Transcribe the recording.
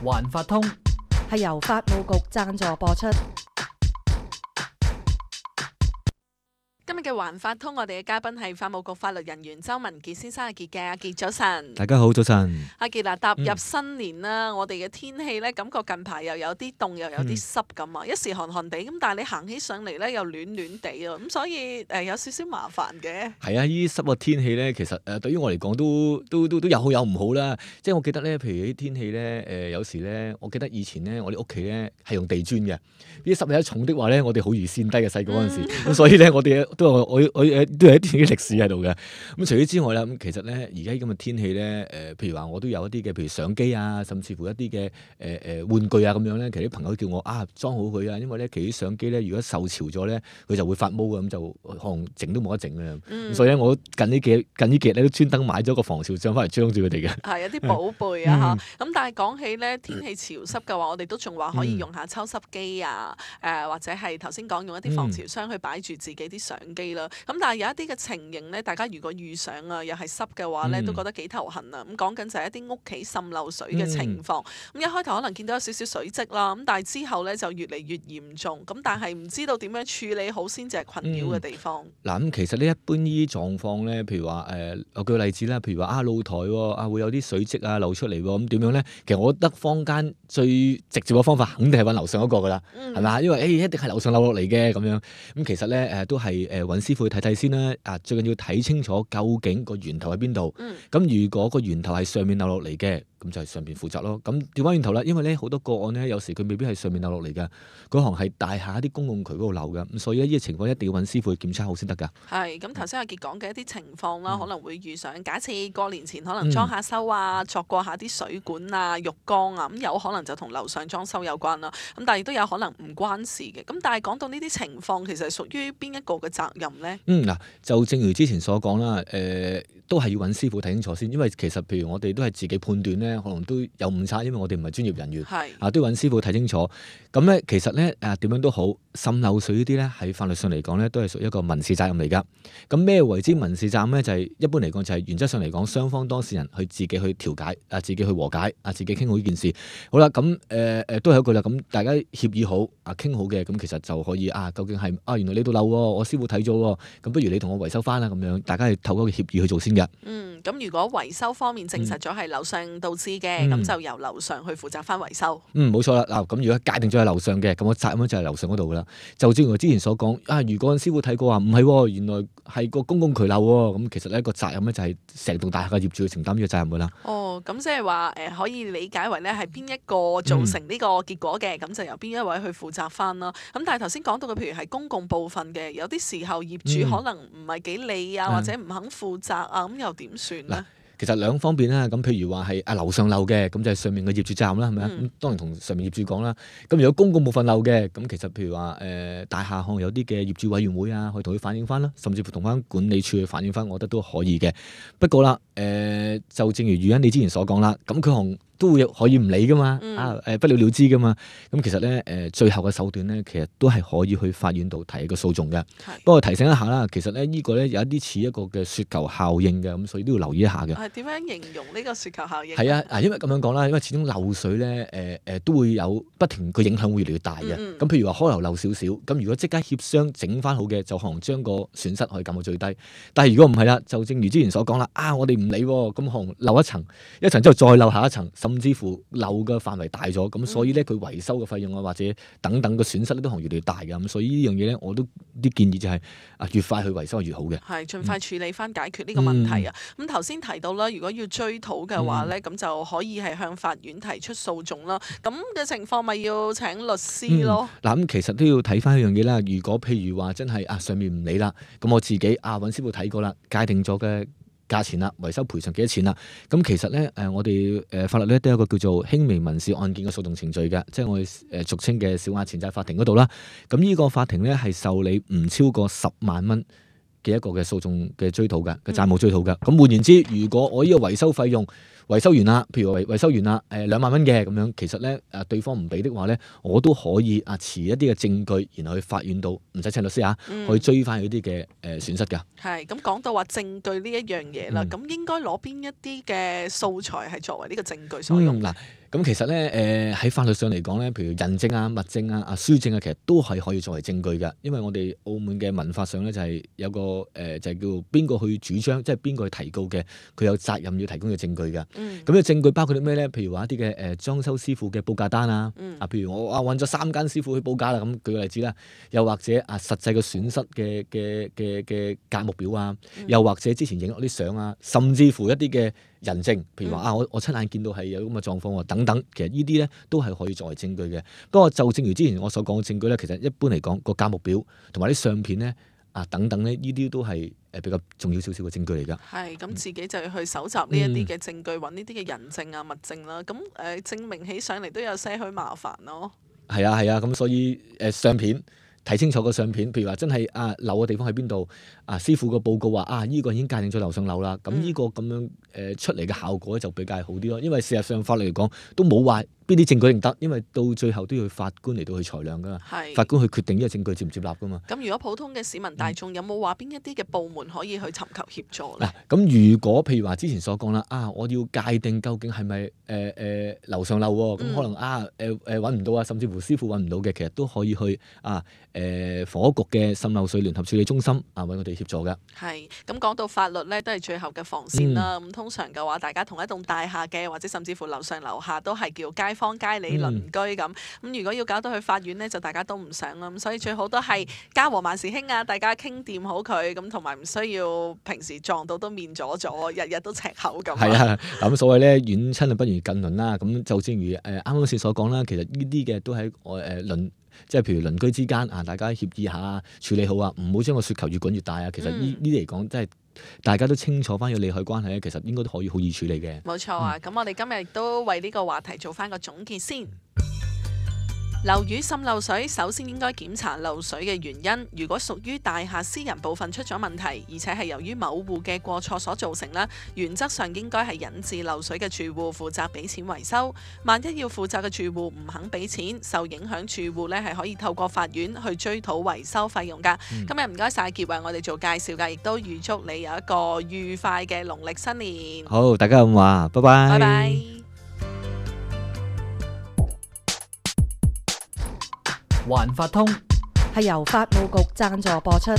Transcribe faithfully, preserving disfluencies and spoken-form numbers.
環法通係由法務局贊助播出。今日嘅環法通，我哋嘅嘉賓係法務局法律人員周文傑先生。阿傑嘅，阿傑早晨。大家好，早晨。阿傑嗱，踏入新年啦，嗯、我哋嘅天氣咧，感覺近排又有啲凍，又有啲濕咁啊，嗯、一時寒寒地咁，但係你行起上嚟咧又暖暖地啊，咁所以誒、呃、有少少麻煩嘅。係啊，依啲濕嘅天氣咧，其實誒、呃、對於我嚟講都都都都有好有唔好啦。即係我記得咧，譬如啲天氣咧，誒、呃、有時咧，我記得以前咧，我哋屋企咧係用地磚嘅，呢啲濕氣一重的話咧，我哋好易跣低嘅細個嗰陣時，咁、嗯、所以咧我哋都有我我。我我都有一啲歷史喺度嘅。咁除此之外啦，咁其實咧，而家咁嘅天氣咧，誒、呃，譬如話我都有一啲嘅，譬如相機啊，甚至乎一啲嘅誒誒玩具啊咁樣咧。其實啲朋友叫我啊裝好佢啊，因為咧其實啲相機咧，如果受潮咗咧，佢就會發毛嘅，咁就可能整都冇得整嘅。嗯、所以咧，我近呢幾近呢幾日咧都專登買咗個防潮帳翻嚟裝住佢哋嘅。係有啲寶貝啊嚇。咁、嗯、但係講起咧天氣潮濕嘅話，我哋都仲話可以用下抽濕機啊，誒、呃、或者係頭先講用一啲防潮箱去擺住自己啲相機啦。咁但係有一啲嘅情形咧，大家如果遇上啊，又係濕嘅話咧，嗯、都覺得幾頭痕啊。咁講緊就係一啲屋企滲漏水嘅情況。咁、嗯、一開頭可能見到有少少水漬啦，咁但係之後咧就越嚟越嚴重。咁但係唔知道點樣處理好先至係困擾嘅地方。嗱咁、嗯、其實呢一般呢啲狀況咧，譬如話誒、呃，我舉個例子啦，譬如話啊露台喎，啊會有啲水漬啊流出嚟喎，咁點樣咧？其實我覺得坊間最直接嘅方法，肯定係揾樓上嗰個噶啦，係咪啊？因為誒、欸、一定係樓上漏落嚟嘅咁樣。咁其實咧誒、呃、都係誒揾師傅去睇睇先啦。啊，最緊要睇清楚究竟個源頭喺邊度。咁、嗯、如果個源頭係上面漏落嚟嘅，咁就係上邊負責咯。咁調翻轉頭啦，因為咧好多個案咧，有時佢未必係上面漏落嚟嘅，嗰行係大廈一啲公共渠嗰度漏嘅。咁所以呢個情況一定要揾師傅去檢查好先得㗎。係咁，頭先阿傑講嘅一啲情況啦，嗯、可能會遇上。假設過年前可能裝下修啊，鑿過下啲水管啊、浴缸啊，咁有可能就同樓上裝修有關啦。咁但係亦都有可能唔關事嘅。咁但係講到呢啲情況，其實係屬於邊一個嘅責任咧？嗯嗱，就正如之前所講啦，誒、呃、都係要揾師傅睇清楚先，因為其實譬如我哋都係自己判斷咧，可能都有誤差，因為我哋唔係專業人員，係啊都要揾師傅睇清楚。咁咧其實咧誒點樣都好，滲漏水呢啲咧喺法律上嚟講咧，都係屬於一個民事責任嚟㗎。咁咩為之民事責任咧？就係、是、一般嚟講就係原則上嚟講，雙方當事人去自己去調解啊，自己去和解啊，自己傾好呢件事。好啦，咁誒誒都係一句啦。咁大家協議好啊，傾好嘅，咁其實就可以啊，究竟係啊原來呢度漏喎，我師傅睇咗喎，咁不如你同我維修翻啦咁樣，大家係透過個協議去做先嘅。嗯，咁如果維修方面證實咗係樓上導致嘅，咁、嗯、就由樓上去負責翻維修。嗯，冇錯啦。嗱，咁如果界定咗係樓上嘅，咁我責任就係樓上嗰度噶啦。就正如我之前所講，啊，如果師傅睇過話唔係，原來係個公共渠漏喎，咁其實呢個責任咧就係成棟大廈嘅業主去承擔呢個責任噶啦。哦，咁即係話誒，可以理解為咧係邊一個造成呢個結果嘅，咁、嗯、就由邊一位去負責翻啦。咁但係頭先講到嘅，譬如係公共部分嘅，有啲時候業主可能唔係幾理啊，嗯、或者唔肯負責啊，咁又點算咧？其實兩方面啦，咁譬如話係啊樓上漏嘅，咁就係上面嘅業主責任啦，係咪啊？咁、嗯、當然同上面業主講啦。咁如果公共部分漏嘅，咁其實譬如話誒、呃、大廈可能有啲嘅業主委員會啊，可以同佢反映翻啦，甚至乎同翻管理處去反映翻，我覺得都可以嘅。不過啦，誒、呃、就正如余欣你之前所講啦，咁佢可能都會可以唔理噶嘛，嗯、啊誒不了了之噶嘛。咁其實咧誒、呃、最後嘅手段咧，其實都係可以去法院度提一個訴訟嘅。是不過提醒一下啦，其實咧呢個咧有一啲似一個嘅雪球效應嘅，咁所以都要留意一下嘅。係點樣形容呢個雪球效應？係啊，因為咁樣講啦，因為始終漏水咧，誒、呃、誒、呃、都會有不停個影響會越嚟越大嘅。咁、嗯嗯、譬如話開頭漏少少，咁如果即刻協商整翻好嘅，就可能將個損失可以減到最低。但係如果唔係啦，就正如之前所講啦，啊我哋唔理，咁可能漏一層，一層之後再漏下一層，甚至乎漏嘅範圍大咗，咁所以咧佢維修嘅費用啊或者等等嘅損失咧都可能越嚟越大嘅。咁所以呢樣嘢咧，我都啲建議就係、是、啊越快去維修越好嘅。係盡快處理翻解決呢個問題啊。咁頭先提到啦，如果要追討嘅話咧，咁、嗯、就可以係向法院提出訴訟啦。咁嘅情況咪要請律師咯。嗱、嗯，咁其實都要睇翻一樣嘢啦。如果譬如話真係啊上面唔理啦，咁我自己啊揾師傅睇過啦，界定咗嘅價錢啦，維修賠償幾多錢啦？咁其實咧，誒、呃、我哋誒、呃、法律咧都有一個叫做輕微民事案件嘅訴訟程序嘅，即係我哋誒、呃、俗稱嘅小額錢債法庭嗰度啦。咁呢個法庭咧係受理唔超過十萬蚊嘅一個嘅訴訟嘅追討嘅嘅債務追討嘅。咁換言之，如果我呢個維修費用維修完啦，譬如維維修完啦，誒兩萬蚊嘅咁樣，其實咧誒對方唔俾的話咧，我都可以啊持一啲嘅證據，然後去法院度唔使請律師啊，嗯可以追翻佢啲嘅誒損失㗎。係咁講到話證據呢一樣嘢啦，嗯咁、應該攞邊一啲嘅素材係作為呢個證據所用？嗯嗱，咁其實咧誒喺法律上嚟講咧，譬如人證啊、物證啊、啊書證啊，其實都係可以作為證據㗎。因為我哋澳門嘅民法上咧就係有個誒、呃、就係、叫邊個去主張，即係邊個去提告嘅，佢有責任要提供嘅證據㗎。嗯咁嘅證據包括啲咩咧？譬如話一啲嘅誒裝修師傅嘅報價單啊，嗯啊，譬如我啊揾咗三間師傅去報價啦，咁舉個例子啦，又或者啊實際嘅損失嘅嘅嘅嘅價目表啊，嗯又或者之前影落啲相啊，甚至乎一啲嘅人證，譬如話嗯啊我我親眼見到係有咁嘅狀況喎，等等，其實呢啲咧都係可以作為證據嘅。不過就正如之前我所講嘅證據咧，其實一般嚟講個價目表同埋啲相片咧啊等等咧，呢啲都係誒比較重要少少嘅證據嚟㗎。係咁，自己就要去搜集呢一啲嘅證據，揾呢啲嘅人證啊、物證啦。咁誒、呃、證明起上嚟都有些許麻煩咯。係啊係啊，咁所以誒、呃、相片睇清楚個相片，譬如話真係啊漏嘅地方喺邊度啊，師傅個報告話啊呢、個已經界定咗樓上樓啦，咁呢個咁樣誒、呃、出嚟嘅效果就比較好啲咯。因為事實上法律嚟講都冇話邊啲證據認得，因為到最後都要法官嚟到去裁量噶嘛，係法官去決定呢個證據接唔接納噶嘛。咁，如果普通嘅市民大眾有冇話邊一啲嘅部門可以去尋求協助咧嗱，？咁如果譬如話之前所講啦，啊，我要界定究竟係咪誒誒樓上樓喎，咁、嗯可能啊誒誒揾唔到啊，甚至乎師傅揾唔到嘅，其實都可以去啊誒房屋局嘅滲漏水聯合處理中心啊揾佢哋協助㗎。係咁講到法律咧，都係最後嘅防線啦。咁、通常嘅話，大家同一棟大廈嘅，或者甚至乎樓上樓下都係叫街坊街里鄰嗯居咁。咁、如果要搞到去法院咧，就大家都唔想啦。咁所以最好都係家和萬事興啊，大家傾掂好佢咁，同埋唔需要平時撞到都面阻阻，日日都赤口咁。係啊，嗱咁所謂咧遠親啊不如近鄰啦。咁就正如誒啱啱先所講啦，其實呢啲嘅都喺我誒鄰，即係譬如鄰居之間啊，大家協議下處理好啊，唔好將個雪球越滾越大啊。其實呢嗯呢啲嚟講，即係大家都清楚翻個利害關係咧，其實應該都可以好易處理嘅。冇錯啊！咁、我哋今日亦都為呢個話題做翻個總結先。樓宇滲漏水，首先應該檢查漏水嘅原因。如果屬於大廈私人部分出咗問題，而且係由於某戶嘅過錯所造成啦，原則上應該係引致漏水嘅住戶負責俾錢維修。萬一要負責嘅住戶唔肯俾錢，受影響住戶呢係可以透過法院去追討維修費用㗎。嗯今日唔該晒傑為我哋做介紹㗎，亦都預祝你有一個愉快嘅農曆新年。好，大家咁話，拜拜。拜拜。環法通。係由法務局贊助播出。